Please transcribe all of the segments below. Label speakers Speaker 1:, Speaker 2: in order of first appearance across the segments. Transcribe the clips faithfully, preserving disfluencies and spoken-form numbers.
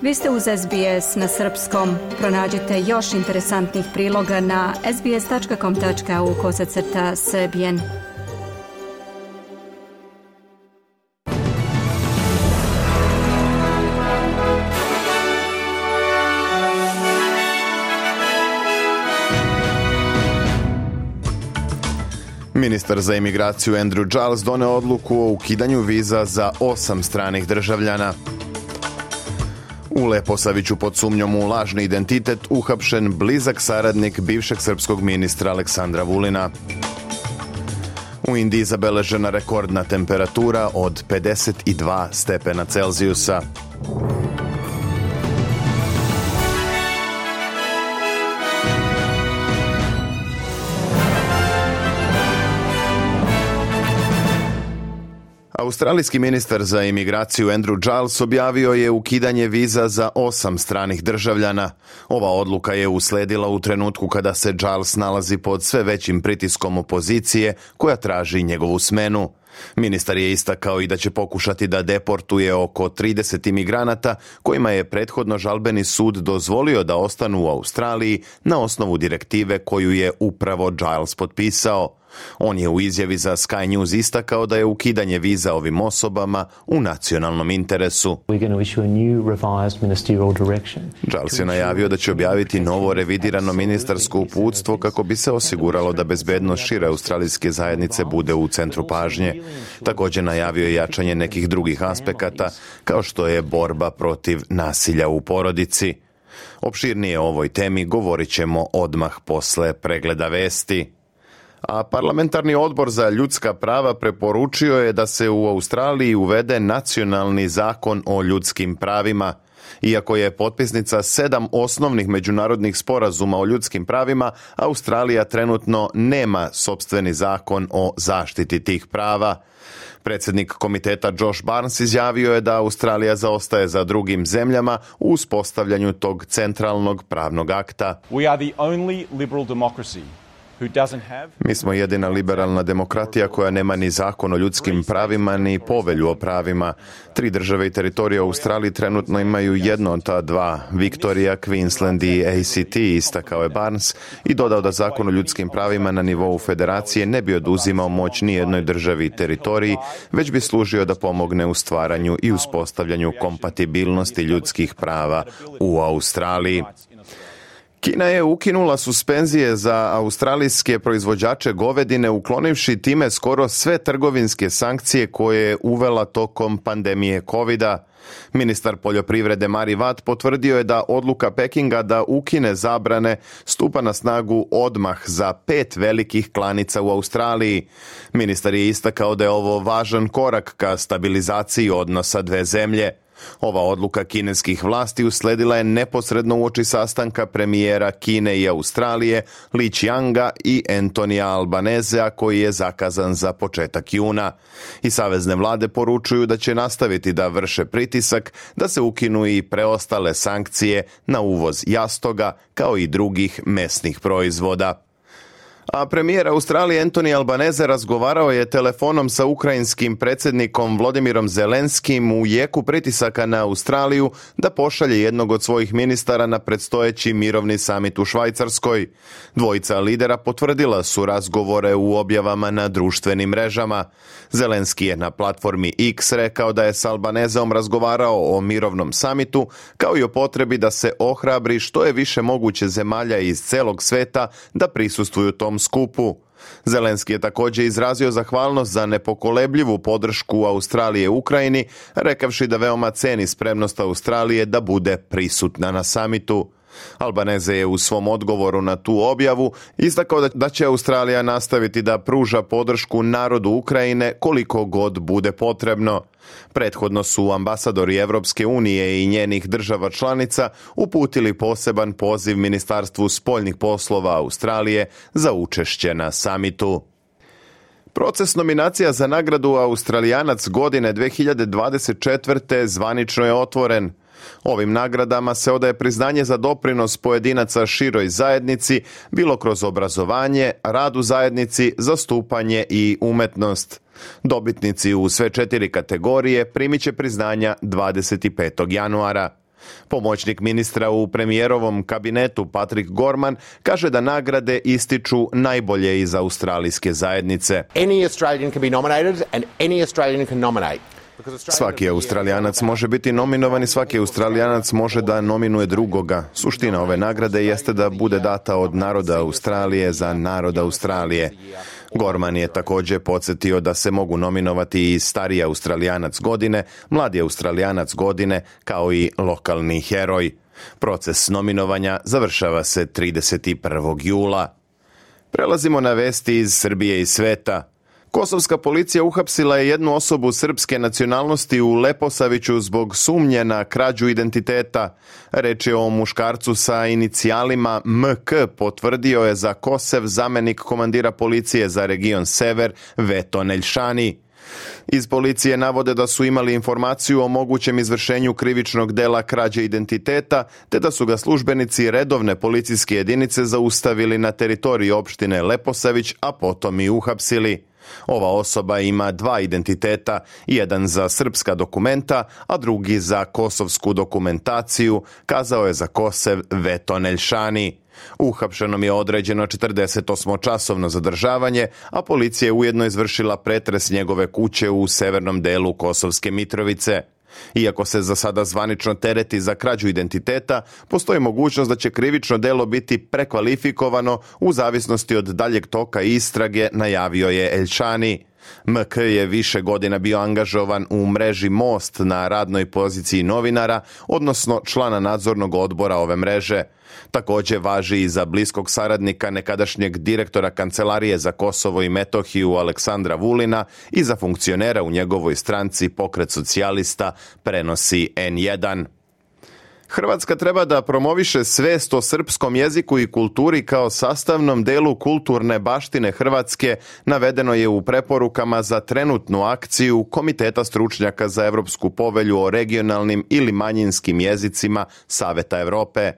Speaker 1: Vi ste uz S B S na srpskom. Pronađite još interesantnih priloga na sbs.com tačka au kosacrta srbijen.
Speaker 2: Ministar za imigraciju Andrew Giles doneo odluku o ukidanju viza za osam stranih državljana. U Leposaviću pod sumnjom u lažni identitet uhapšen blizak saradnik bivšeg srpskog ministra Aleksandra Vulina. U Indiji zabeležena rekordna temperatura od pedeset dva stepena Celzijusa. Australijski ministar za imigraciju Andrew Giles objavio je ukidanje viza za osam stranih državljana. Ova odluka je usledila u trenutku kada se Giles nalazi pod sve većim pritiskom opozicije koja traži njegovu smenu. Ministar je istakao i da će pokušati da deportuje oko trideset imigranata kojima je prethodno žalbeni sud dozvolio da ostanu u Australiji na osnovu direktive koju je upravo Giles potpisao. On je u izjavi za Sky News istakao da je ukidanje viza ovim osobama u nacionalnom interesu. Giles je najavio da će objaviti novo revidirano ministarsko uputstvo kako bi se osiguralo da bezbednost šire australijske zajednice bude u centru pažnje. Također najavio je jačanje nekih drugih aspekata, kao što je borba protiv nasilja u porodici. Opširnije o ovoj temi govorit ćemo odmah posle pregleda vesti. A parlamentarni odbor za ljudska prava preporučio je da se u Australiji uvede nacionalni zakon o ljudskim pravima. Iako je potpisnica sedam osnovnih međunarodnih sporazuma o ljudskim pravima, Australija trenutno nema sopstveni zakon o zaštiti tih prava. Predsjednik komiteta Josh Barnes izjavio je da Australija zaostaje za drugim zemljama u uspostavljanju tog centralnog pravnog akta.
Speaker 3: We are the only liberal democracy.
Speaker 2: Mi smo jedina liberalna demokratija koja nema ni zakon o ljudskim pravima ni povelju o pravima. Tri države i teritorije u Australiji trenutno imaju jedno od ta dva, Victoria, Queensland i A C T, istakao je Barnes i dodao da zakon o ljudskim pravima na nivou federacije ne bi oduzimao moć ni jednoj državi i teritoriji, već bi služio da pomogne u stvaranju i uspostavljanju kompatibilnosti ljudskih prava u Australiji. Kina je ukinula suspenzije za australijske proizvođače govedine, uklonivši time skoro sve trgovinske sankcije koje je uvela tokom pandemije kovida. Ministar poljoprivrede Mari Watt potvrdio je da odluka Pekinga da ukine zabrane stupa na snagu odmah za pet velikih klanica u Australiji. Ministar je istakao da je ovo važan korak ka stabilizaciji odnosa dve zemlje. Ova odluka kineskih vlasti usledila je neposredno uoči sastanka premijera Kine i Australije Li Qianga i Antonija Albanezea koji je zakazan za početak juna. I savezne vlade poručuju da će nastaviti da vrše pritisak da se ukinu i preostale sankcije na uvoz jastoga kao i drugih mesnih proizvoda. A premijer Australije Anthony Albanese razgovarao je telefonom sa ukrajinskim predsjednikom Volodymyrom Zelenskim u jeku pritisaka na Australiju da pošalje jednog od svojih ministara na predstojeći mirovni samit u Švajcarskoj. Dvojica lidera potvrdila su razgovore u objavama na društvenim mrežama. Zelenski je na platformi X rekao da je s Albaneseom razgovarao o mirovnom samitu, kao i o potrebi da se ohrabri što je više moguće zemalja iz celog sveta da prisustvuju tom skupu. Zelenski je također izrazio zahvalnost za nepokolebljivu podršku Australije Ukrajini, rekavši da veoma ceni spremnost Australije da bude prisutna na samitu. Albanese je u svom odgovoru na tu objavu istakao da će Australija nastaviti da pruža podršku narodu Ukrajine koliko god bude potrebno. Prethodno su ambasadori Evropske unije i njenih država članica uputili poseban poziv Ministarstvu spoljnih poslova Australije za učešće na samitu. Proces nominacija za nagradu Australijanac godine dve hiljade dvadeset četvrte zvanično je otvoren. Ovim nagradama se odaje priznanje za doprinos pojedinaca široj zajednici, bilo kroz obrazovanje, rad u zajednici, zastupanje i umetnost. Dobitnici u sve četiri kategorije primit će priznanja dvadeset petog januara. Pomoćnik ministra u premijerovom kabinetu Patrick Gorman kaže da nagrade ističu najbolje iz australijske zajednice.
Speaker 4: Any Australian can be nominated and any Australian can nominate.
Speaker 2: Svaki Australijanac može biti nominovan i svaki Australijanac može da nominuje drugoga. Suština ove nagrade jeste da bude data od naroda Australije za narod Australije. Gorman je također podsjetio da se mogu nominovati i stariji Australijanac godine, mladi Australijanac godine, kao i lokalni heroj. Proces nominovanja završava se trideset prvog jula. Prelazimo na vesti iz Srbije i sveta. Kosovska policija uhapsila je jednu osobu srpske nacionalnosti u Leposaviću zbog sumnje na krađu identiteta. Reč je o muškarcu sa inicijalima M K, potvrdio je za Kosev zamenik komandira policije za region Sever Veto Neljšani. Iz policije navode da su imali informaciju o mogućem izvršenju krivičnog dela krađe identiteta, te da su ga službenici redovne policijske jedinice zaustavili na teritoriji opštine Leposavić, a potom i uhapsili. Ova osoba ima dva identiteta, jedan za srpska dokumenta, a drugi za kosovsku dokumentaciju, kazao je za Kosev Veto Neljšani. Uhapšenom je određeno četrdesetosmočasovno zadržavanje, a policija je ujedno izvršila pretres njegove kuće u severnom delu Kosovske Mitrovice. Iako se za sada zvanično tereti za krađu identiteta, postoji mogućnost da će krivično delo biti prekvalifikovano u zavisnosti od daljeg toka istrage, najavio je Eljšani. M K je više godina bio angažovan u mreži Most na radnoj poziciji novinara, odnosno člana nadzornog odbora ove mreže. Također važi i za bliskog saradnika nekadašnjeg direktora Kancelarije za Kosovo i Metohiju Aleksandra Vulina i za funkcionera u njegovoj stranci Pokret socijalista, prenosi N jedan. Hrvatska treba da promoviše svest o srpskom jeziku i kulturi kao sastavnom delu kulturne baštine Hrvatske, navedeno je u preporukama za trenutnu akciju Komiteta stručnjaka za Evropsku povelju o regionalnim ili manjinskim jezicima Saveta Evrope.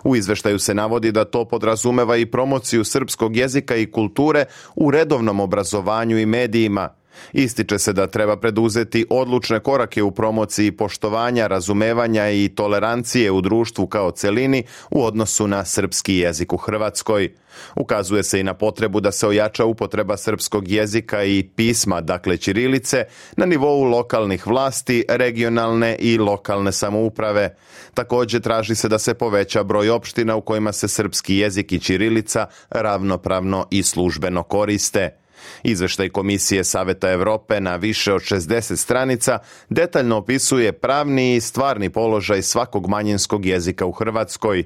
Speaker 2: U izveštaju se navodi da to podrazumeva i promociju srpskog jezika i kulture u redovnom obrazovanju i medijima. Ističe se da treba preduzeti odlučne korake u promociji poštovanja, razumevanja i tolerancije u društvu kao celini u odnosu na srpski jezik u Hrvatskoj. Ukazuje se i na potrebu da se ojača upotreba srpskog jezika i pisma, dakle ćirilice, na nivou lokalnih vlasti, regionalne i lokalne samouprave. Također traži se da se poveća broj opština u kojima se srpski jezik i ćirilica ravnopravno i službeno koriste. Izveštaj Komisije Saveta Evrope na više od šezdeset stranica detaljno opisuje pravni i stvarni položaj svakog manjinskog jezika u Hrvatskoj.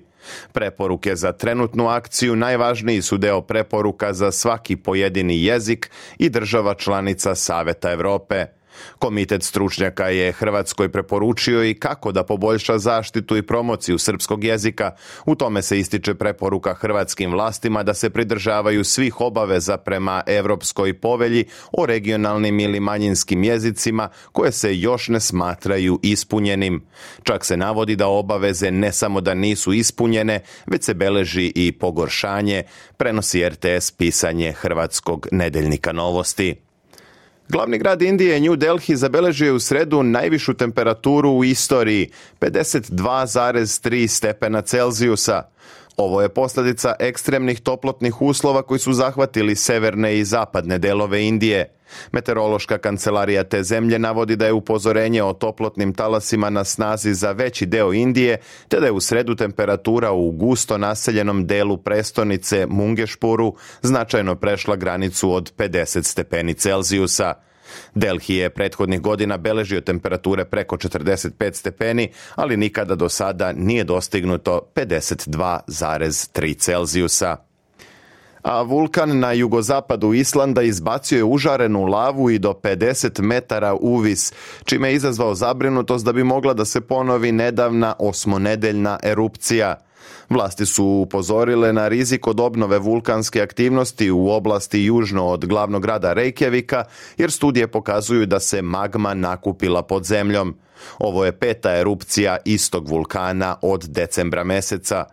Speaker 2: Preporuke za trenutnu akciju najvažniji su deo preporuka za svaki pojedini jezik i država članica Saveta Evrope. Komitet stručnjaka je Hrvatskoj preporučio i kako da poboljša zaštitu i promociju srpskog jezika. U tome se ističe preporuka hrvatskim vlastima da se pridržavaju svih obaveza prema Evropskoj povelji o regionalnim ili manjinskim jezicima koje se još ne smatraju ispunjenim. Čak se navodi da obaveze ne samo da nisu ispunjene, već se beleži i pogoršanje, prenosi R T S pisanje hrvatskog nedeljnika Novosti. Glavni grad Indije, New Delhi, zabeležio je u sredu najvišu temperaturu u istoriji, pedeset dva zarez tri stepena Celzijusa. Ovo je posljedica ekstremnih toplotnih uslova koji su zahvatili severne i zapadne delove Indije. Meteorološka kancelarija te zemlje navodi da je upozorenje o toplotnim talasima na snazi za veći deo Indije, te da je u sredu temperatura u gusto naseljenom delu prestonice Mungešpuru značajno prešla granicu od pedeset stepeni Celzijusa. Delhi je prethodnih godina beležio temperature preko četrdeset pet stepeni, ali nikada do sada nije dostignuto pedeset dva zarez tri Celzijusa. A vulkan na jugozapadu Islanda izbacio je užarenu lavu i do pedeset metara uvis, čime je izazvao zabrinutost da bi mogla da se ponovi nedavna osmonedeljna erupcija. Vlasti su upozorile na rizik od obnove vulkanske aktivnosti u oblasti južno od glavnog grada Reykjavika, jer studije pokazuju da se magma nakupila pod zemljom. Ovo je peta erupcija istog vulkana od decembra meseca.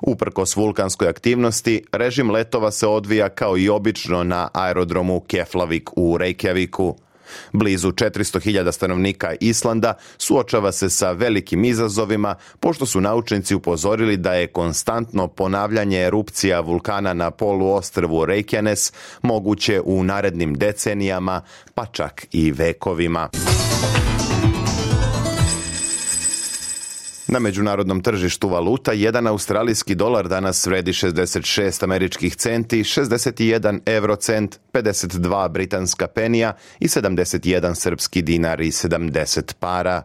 Speaker 2: Uprkos vulkanskoj aktivnosti, režim letova se odvija kao i obično na aerodromu Keflavik u Reykjaviku. Blizu četiristo hiljada stanovnika Islanda suočava se sa velikim izazovima, pošto su naučnici upozorili da je konstantno ponavljanje erupcija vulkana na poluostrvu Reykjanes moguće u narednim decenijama, pa čak i vekovima. Na međunarodnom tržištu valuta jedan australijski dolar danas vredi šezdeset šest američkih centi, šezdeset jedan eurocent, pedeset dva britanska penija i sedamdeset jedan srpski dinar i sedamdeset para.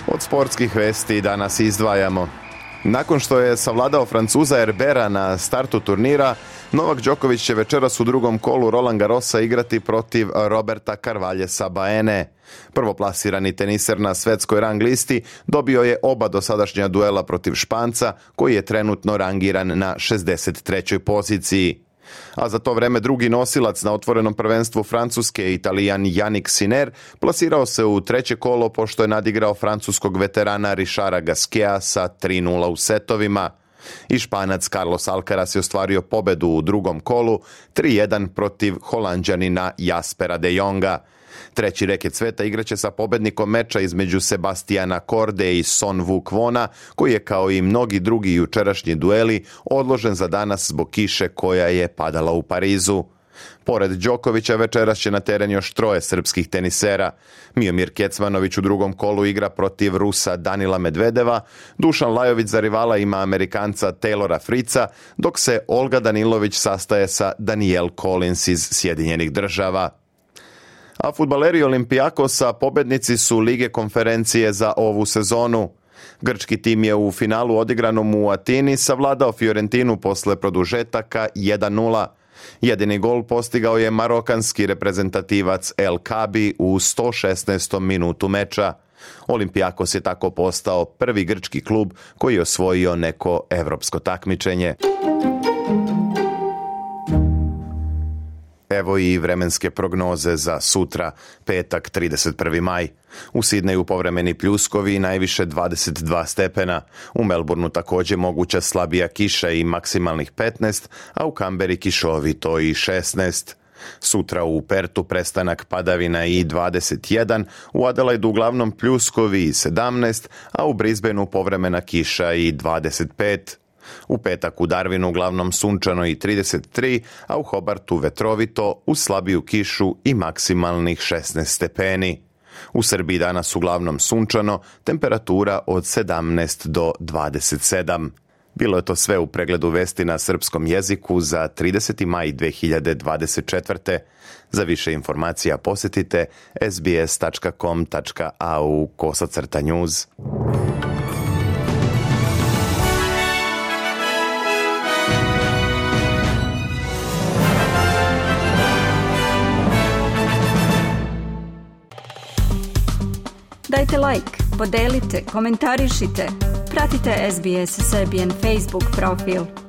Speaker 2: Od sportskih vesti danas izdvajamo. Nakon što je savladao Francuza Herbera na startu turnira, Novak Đoković će večeras u drugom kolu Roland Garrosa igrati protiv Roberta Carvaljesa Baene. Prvoplasirani teniser na svetskoj rang listi dobio je oba dosadašnja duela protiv Španca, koji je trenutno rangiran na šezdeset trećoj poziciji. A za to vreme drugi nosilac na otvorenom prvenstvu Francuske, Italijan Jannik Sinner, plasirao se u treće kolo pošto je nadigrao francuskog veterana Richarda Gasqueta sa tri nula u setovima. I Španac Carlos Alcaraz je ostvario pobedu u drugom kolu tri jedan protiv Holanđanina Jaspera de Jonga. Treći reket sveta igraće sa pobednikom meča između Sebastiana Korde i Son Vuk Vona, koji je kao i mnogi drugi jučerašnji dueli odložen za danas zbog kiše koja je padala u Parizu. Pored Đokovića večeras će na teren još troje srpskih tenisera. Miomir Kecmanović u drugom kolu igra protiv Rusa Danila Medvedeva, Dušan Lajović za rivala ima Amerikanca Taylora Fritza, dok se Olga Danilović sastaje sa Danielle Collins iz Sjedinjenih Država. A fudbaleri Olympiakosa pobednici su Lige konferencije za ovu sezonu. Grčki tim je u finalu odigranom u Atini savladao Fiorentinu posle produžetaka jedan nula. Jedini gol postigao je marokanski reprezentativac El Kabi u sto šesnaestom minutu meča. Olympiakos je tako postao prvi grčki klub koji je osvojio neko evropsko takmičenje. Evo i vremenske prognoze za sutra, petak trideset prvi maj. U Sidneju povremeni pljuskovi i najviše dvadeset dva stepena. U Melbourneu također moguća slabija kiša i maksimalnih petnaest, a u Kamberi kišovito i šesnaest. Sutra u Pertu prestanak padavina i dvadeset jedan, u Adelaidu uglavnom pljuskovi i sedamnaest, a u Brisbaneu povremena kiša i dvadeset pet. U petak u Darwinu uglavnom sunčano i trideset tri, a u Hobartu vetrovito uz slabiju kišu i maksimalnih šesnaest stepeni. U Srbiji danas uglavnom sunčano, temperatura od sedamnaest do dvadeset sedam. Bilo je to sve u pregledu vesti na srpskom jeziku za trideseti maj dve hiljade dvadeset četvrte. Za više informacija posjetite es bi es tačka com tačka a u kosacrta news.
Speaker 1: Dajte like, podelite, komentarišite. Pratite es bi es Serbian Facebook profil.